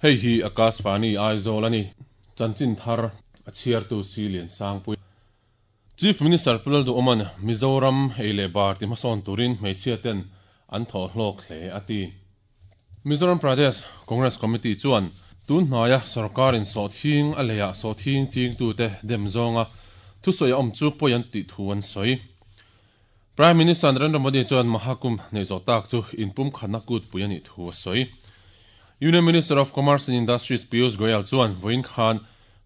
Hei hi Akashvani Aizawl a ni. Chanchin thar a chhiartu Si Liansangpui. Chief Minister Pu Lalduhawma'n Mizoram ei leh bar ti hmasawn turin hmeichhia ten an thawh hlawk hle a ti. Mizoram Pradesh Congress Committee chuan tun hnaia sorkarin sawhthing a leiah sawhthing chingtute dem zawnga thusawi a awm chu pawi an tih thu an sawi. Prime Minister Narendra Modi chuan Mahakumbh neih zawh tak chu inpumkhatna kutpui a nih thu a sawi. Union Minister of Commerce and Industries Piyush Goyal chuan vawiin khan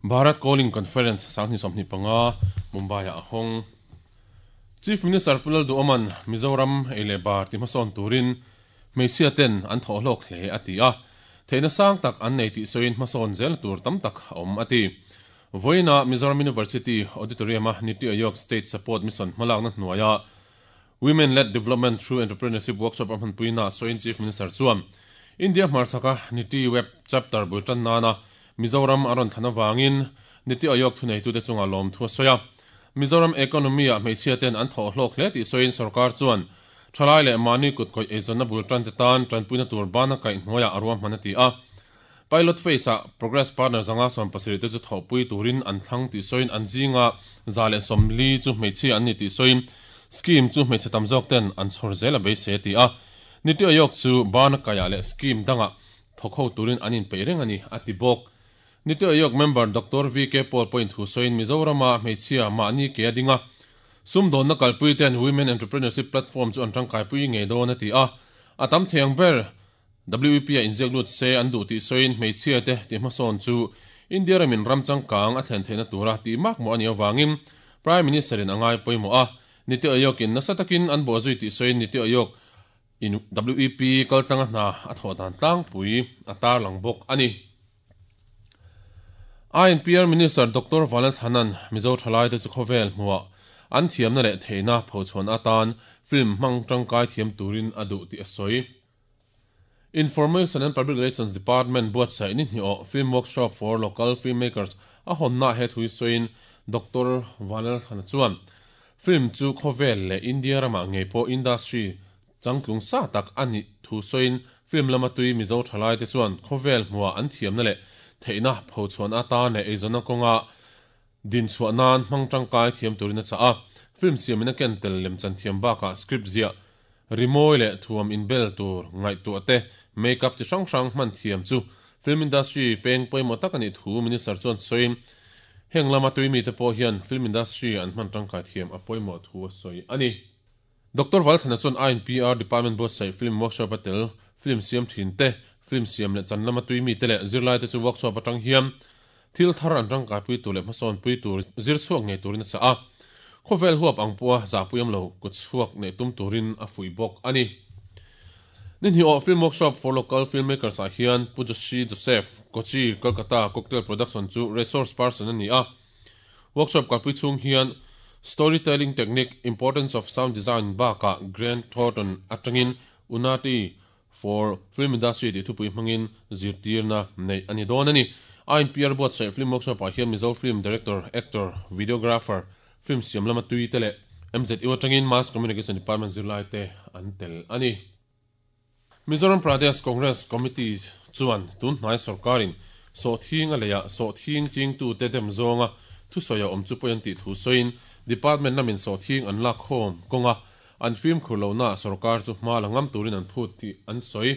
Bharat Calling Conference 2025 Mumbai-ah a hawng. Chief Minister Pu Lalduhawma'n Mizoram ei leh bar ti hmasawn turin hmeichhia ten an thawh hlawk hle a ti a, theihna sang tak an nei tih sawiin hmasawn zelna tur tam tak a awm a ti. Vawiinah Mizoram University Auditorium-a Niti Aayog State Support Mission hmalakna hnuaia Women Led Development Through Entrepreneurship Workshop a hmanpuina sawiin Chief Minister chuan India hmarchhaka Niti Web Chapter bul tan nana Mizoram a rawn thlan avangin Niti Aayog thuneitute chungah lawmthu a sawi a. Mizoram economy-ah hmeichhia ten an thawh hlawk hle tih sawiin sorkar chuan thalai leh mahni kutkawih eizawnna bul tante tan tanpuina tur bana kaih hnuaiah a ruahman a ti a. Pilot phase-ah Progress Partner 170 te chu thawhpui turin an thlang tih sawiin an zinga 140 chu hmeichhia an ni tih sawiin scheme chu hmeichhe tam zawk ten an chhawr zel a beisei a ti a. Niti Aayog chu bana kaihah leh scheme dangah thawk ho turin an inpeih reng a ni, a ti bawk. Niti Aayog member Doctor VK Paul pawhin thu sawiin Mizorama hmeichhia mahni ke a ding a, sumdawnna kalpui ten Women Entrepreneurship Platform chu an tangkaipui ngei dawn a ti a, a tam thei ang ber WEP ah inziak lut se an duh tih sawiin hmeichhia te tih hmasawn chu India ramin ram changkang a thlen theihna tura tih mak mawh a nih avangin Prime Minister in a ngai pawimawh a, Niti Aayog in nasa takin an bawhzui tih sawiin Niti Aayog in WEP kaltlanga hna a thawh dan tlangpui a tarlang bawk a ni. INPR Minister Doctor Vanlalthlana'n Mizo thalaite chu khawvel hmuah an thiamna leh theihna phochhuan atan film hmang tangkai thiam turin a duh tih a sawi. Information and Public Relations Department buatsaih ni hnih awh Film Workshop for Local Filmmakers a hawnnaah he thu hi sawiin Doctor Vanlalthlana chuan film chu khawvel leh India ramah ngei pawh industry changtlung sa tak a nih thu sawiin film lama tui Mizo thalaite chuan khawvel hmuah an thiamna leh theihna phochhuan atan leh eizawnna kawnga dinchhuah nan hmang tangkai thiam turin a chah a. Film siamin a ken tel lemchan thiam bakah script ziah, rimawi leh thuam inbel tur ngaihtuah te, make-up chi hrang hrang hman thiam chu film industry peng pawimawh tak a nih thu Minister chuan sawiin, heng lama tui mite pawh hian film industry an hman tangkai thiam a pawimawh thu a sawi a ni. Doctor Valthana chuan INPR Department buatsaih film workshop a tel, film siam thin te, film siam leh chan lama tui mite leh zirlaite chu workshop atang hian thil thar an tangkaipui tur leh hmasawnpui tur zir chhuak ngei turin a chah a. Khawvel huap ang pawha zahpuiam lo kut chhuak neih tum turin a fuih bawk a ni. Ni hnih awh Film Workshop for Local Filmmakers ah hian Pu Joshi Joseph, Kochi, Kolkata, Cocktail Production chu resource person a ni a. Workshop kalpui chhung hian Storytelling Technique, Importance of Sound Design bakah Grant Thornton atangin Unati for Film Industry tih thupui hmangin zirtirna neih a ni dawn a ni. INPR buatsaih Film Workshop ah hian Mizo Film Director, Actor, Videographer, Film siam lama tui te leh MZU atangin Mass Communication Department zirlai te an tel a ni. Mizoram Pradesh Congress Committee chuan tun hnai sorkarin sawhthing a leiah sawhthing chingtute dem zawnga thusawi a awm chu pawi an tih thu sawiin Department lamin sawhthing an lakkhawm kawnga an fimkhur lohnaah sorkar chu hma la ngam turin an phut tih an sawi.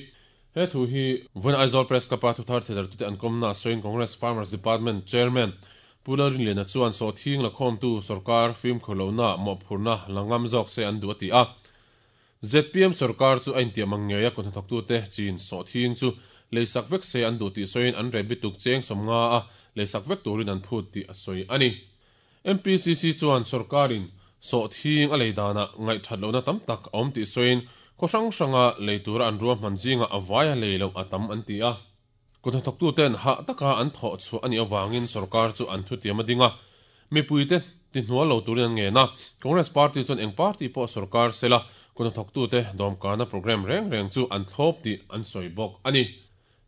He thu hi vawiin Aizawl Press Club-a thuthar thedartute an kawmnaah sawiin Congress Farmers Department Chairman Pu Lalrinliana chuan sawhthing lakhawmtu sorkar fimkhur lohnaah mawhphurhna la ngam zawk se an duh a ti a. Zpm sorkar chu a intiam ang ngei a kuthnathawktute chin sawhthing chu leisak vek se an duh tih sawiin an reh bituk cheng 50 a leisak vek turin an phut tih a sawi a ni. MPCC chuan sorkarin sawhthing a lei danah ngaihthat lohna tam tak a awm tih sawiin khaw hrang hranga lei tura an ruahman zingah a vaia lei loh a tam an ti a. Kuthnathawktuten hah taka an thawh chhuah a nih avangin sorkar chu an thutiam a ding a, mipuite tihnual lo turin an ngen a. Congress party chuan eng party pawh sorkar sela kuthnathawktute dawmkana programme reng reng chu an thlawp tih an sawi bawk a ni.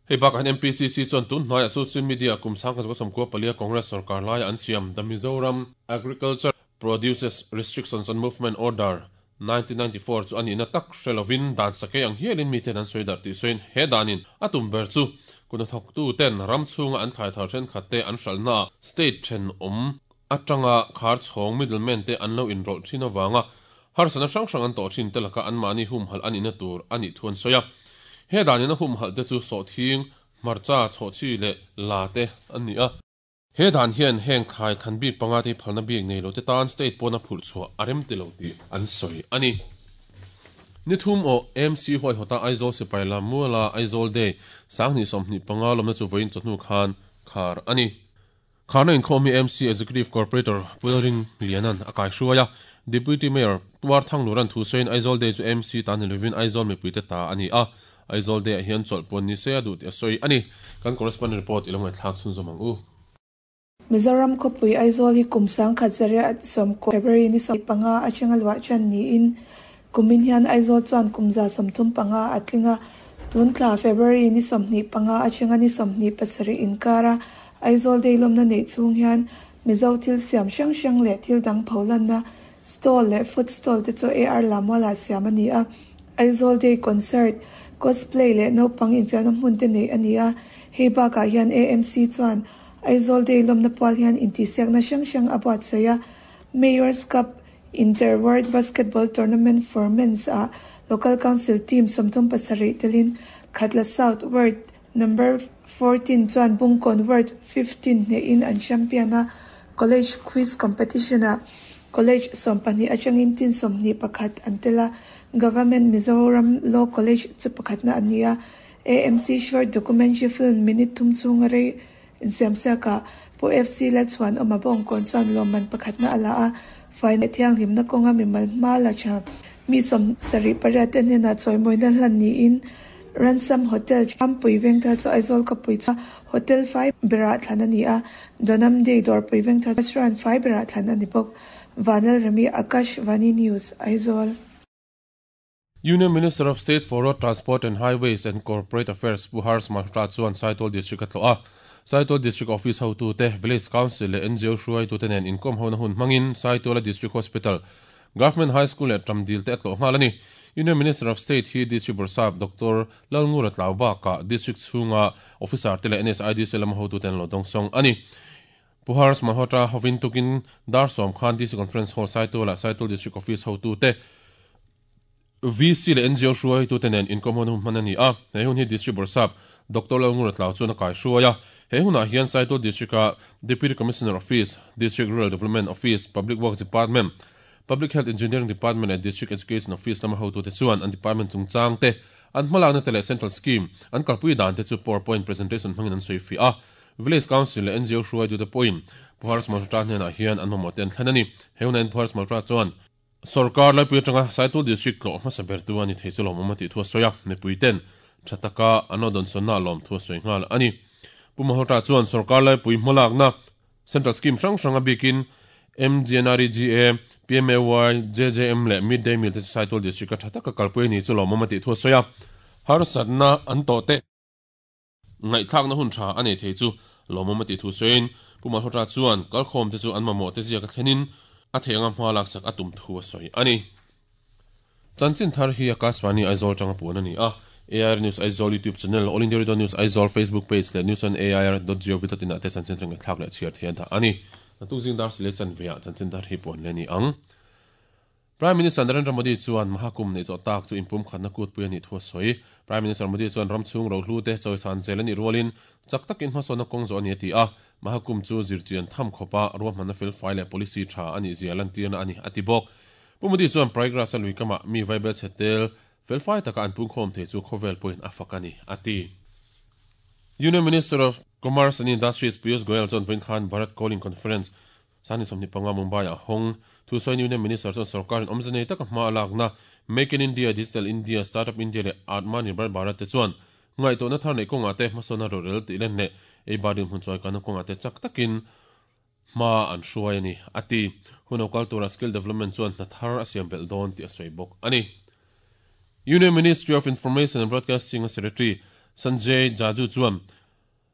Hei bakah hian MPCC chuan tun hnaiah social media kum 1994 Congress sorkar laia an siam The Mizoram Agriculture Produces Restrictions on Movement Order 1994 chu a nihna tak hre lovin dan sakei ang hialin miten an sawi darh tih sawiin he danin a tum ber chu Kuhnathawktu ten ram chhunga an thlai thar thenkhat te an hralhnaah state thenawm atanga khar chhawng middleman te an lo inrawlh thin avanga harsatna hrang hrang an tawh thin te laka anmahni humhalh a nihna tur a nih thu an sawi a. He danin a humhalh te chu sawhthing, hmarcha, chhawhchhi leh la te an ni a. He dan hian heng thlai thlan bik panga te hi phalna bik nei lo te tan state pawna phurh chhuah a rem ti lo tih an sawi a ni. Ni thum aw MC huaihawta Aizawl sipai lam muala Aizawl Day 2025 lawmna chu vawiin chawhnu khan khar a ni. Kharna inkhawm hi MC Executive Corporator Pu Lalring Lianan a kaihruai a, Deputy Mayor Pu Arthangluran thu sawiin Aizawl Day chu MC ta ni lovin Aizawl mipuite ta a ni a, Aizawl Day ah hian chawlh puan ni se a duh tih a sawi a ni. Kan correspondent report i lo ngaihthlak chhunzawm ang u. Mizoram khawpui Aizawl hi kum 1990 February ni 15 atanga luah ṭan niin kumin hian Aizawl chuan kum 35 a tling a, tun thla February ni 25 atanga ni 27 inkara Aizawl Day lawmna neih chhung hian Mizo thil siam hrang hrang leh thil dang pholanna stall leh food stall te chu AR Lamualah siam a ni a. Aizawl Day Concert, Cosplay leh naupang infiamna hmun te neih a ni a. Hei bakah hian AMC chuan Aizawl Day lawmna pual hian intihsiakna hrang hrang a buatsaih a. Mayor's Cup Inter Ward Basketball Tournament for Men's ah Local Council team 37 telin Khatla South Ward Number 14 chuan Bungkawn Ward 15 hnehin an champion a, College Quiz Competition-ah College 12 atangin team 21 an tel a, Government Mizoram Law College chu pakhatna an ni a, AMC Short Documentary Film minute thum chhunga rei insiamsiakah Pu FC Lalchhuanawma Bawngkawn chuan lawmman pakhatna a la a, faina thianghlimna kawnga mimal hma la tha mi 78 te hnenah chawimawina hlan niin Ransom Hotel Champui Vengthar chu Aizawl khawpui chu Hotel fai berah thlan a ni a, Donam Day Dawrpui Vengthar Restaurant fai berah thlan a ni bawk. Vanlalremi Akash Vani News, Aizawl. Union Minister of State for Road Transport and Highways and Corporate Affairs Pu Harsh Malhotra chuan Saitual District a tlawh a. Saitual District Office hotute, Village Council leh NGO hruaitute nen inkawm hona hun hmangin Saituala District Hospital, Government High School leh Tramdil te a tlawh nghal a ni. Union Minister of State hi District Bawrhsap Doctor Lalngura tlau bakah District chhunga Officer te leh NSIDC lama hotute an lo dawngsawng a ni. Pu Harsh Malhotra hovin tukin dar sawm khan DC Conference Hall Saitualah Saitual District Office hotute, VC leh NGO hruaitute nen inkawm hun hman a ni a. He hun hi District Bawrhsap Doctor Lalngura Tlau chuan a kaihruai a. He hunah hian Saitual District-a Deputy Commissioner Office, District Rural Development Office, Public Works Department, Public Health Engineering Department leh District Education Office lama hotute chuan an department chungchang te, an hmalakna te leh Central Scheme an kalpui dan te chu PowerPoint presentation hmangin an sawi fiah a. Village Council leh NGO hruaitute pawhin Pu Harsh Malhotra hnenah hian an mamawh te an thlen a ni. He hunah hian Pu Harsh Malhotra chuan Sorkar laipui atanga Saitual District tlawh hmasa bertu a ni thei chu lawmawm a tih thu a sawi a, mipuiten tha taka an lo dawnsawnna a lawm thu a sawi nghal a ni. Pu Malhotra chuan sorkar laipui hmalakna Central Scheme hrang hrang a bikin MGNREGA, PMAY, JJM leh Mid Day Meal te chu Saitual District a tha taka kalpui a ni chu lawmawm a tih thu a sawi a, harsatna an tawh te. Ngaihthlakna hun tha a nei thei chu lawmawm a tih thu sawiin Pu Malhotra chuan kalkhawm te chu an mamawh te ziak a thlenin a theih anga hma laksak a tum thu a sawi a ni. Chanchin thar hi Akashvani Aizawl tanga puan a ni a, AIR News Aizawl YouTube channel, All India Radio News Aizawl Facebook page leh newsonair.gov.in ah te chanchin thar ngaihthlak leh chhiar thei a dah a ni. Naktuk zing dar silei chanve ah chanchin thar hi puan leh a ni ang. Prime Minister Narendra Modi chuan Mahakumbh neih zawh tak chu inpumkhatna kutpui a nih thu a sawi. Prime Minister Modi chuan ram chhung rohlu te chawisan zel a nih rualin chak takin hmasawnna kawng zawh a ni a ti a, Mahakumbh chu zirchian tham khawpa ruahmanna felfai leh policy tha a nih zia lantirna a ni a ti bawk. Pu Modi chuan Prayagraj-a lui kamah mi vaibel chhe tel felfai taka an pungkhawm thei chu khawvel pawhin a fak a ni a ti. Union Minister of Commerce and Industries Piyush Goyal chuan vawiin khan Bharat Calling Conference Sani 25 Mumbai-ah hawng thusawiin Union Minister chuan sorkarin awmze nei taka hma a lakna Make in India, Digital India, Startup India leh Atmanirbhar Bharat te chuan ngaihtuahna thar neih kawngah te hmasawnna rorel tih len leh eibar dinhmun chawikanna kawngah te chak takin hma an hruai a ni, a ti. Hun lo kal tura Skill Development chuan hna thar a siam belh dawn tih a sawi bawk a ni. Union Ministry of Information and Broadcasting-a Secretary Sanjay Jaju chuan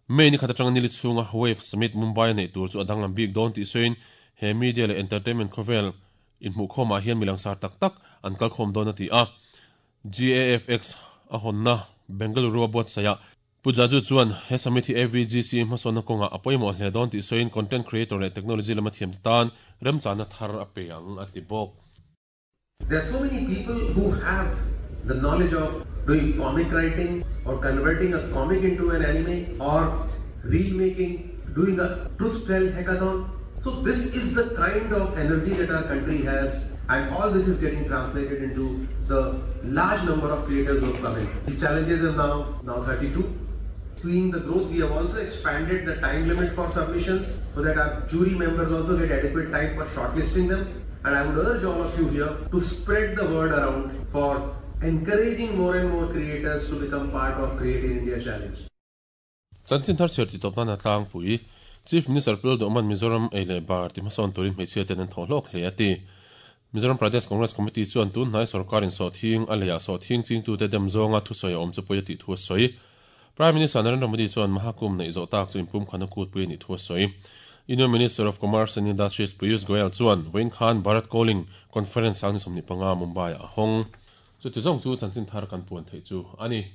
May ni khat atanga nili chhunga Wave Summit Mumbai a neih tur chu a danglam bik dawn tih sawiin he media leh entertainment khawvel inhmuhkhawmah hian mi langsar tak tak an kalkhawm dawn a ti a. GAFX a hawnna Bengaluru a buatsaih ah. Pu Jaju chuan he summit hi AVGC hmasawnna kawngah a pawimawh hle dawn tih sawiin content creator leh technology lama thiamte tan remchahna thar a pe ang a ti bawk. There are so many people who have the knowledge of doing comic writing or converting a comic into an anime or reel making, doing a truth tell hackathon. So this is the kind of energy that our country has and all this is getting translated into the large number of creators who have come in. These challenges are now, now 32. Seeing the growth, we have also expanded the time limit for submissions so that our jury members also get adequate time for shortlisting them. And I would urge all of you here to spread the word around for encouraging more and more creators to become part of Create in India Challenge. Chanchin thar chhiar titawp nan a tlangpui. Chief Minister Pu Duhman Mizoram ei leh bar ti hmasawn turin hmeichhia ten an thawh hlawk hle a ti. Mizoram Pradesh Congress Committee chuan tun hnai sorkarin sawhthing a leiah sawhthing chingtute dem zawnga thusawi a awm chu pawi a tih thu a sawi. Prime Minister Narendra Modi chuan Mahakumbh neih zawh tak chu inpumkhan a kutpui a nih thu a sawi. Union Minister of Commerce and Industries Piyush Goyal chuan vawiin khan Bharat Calling Conference 2025 Mumbai-ah a hawng. Chuti zawng chu chanchin thar kan puan theih chu a ni.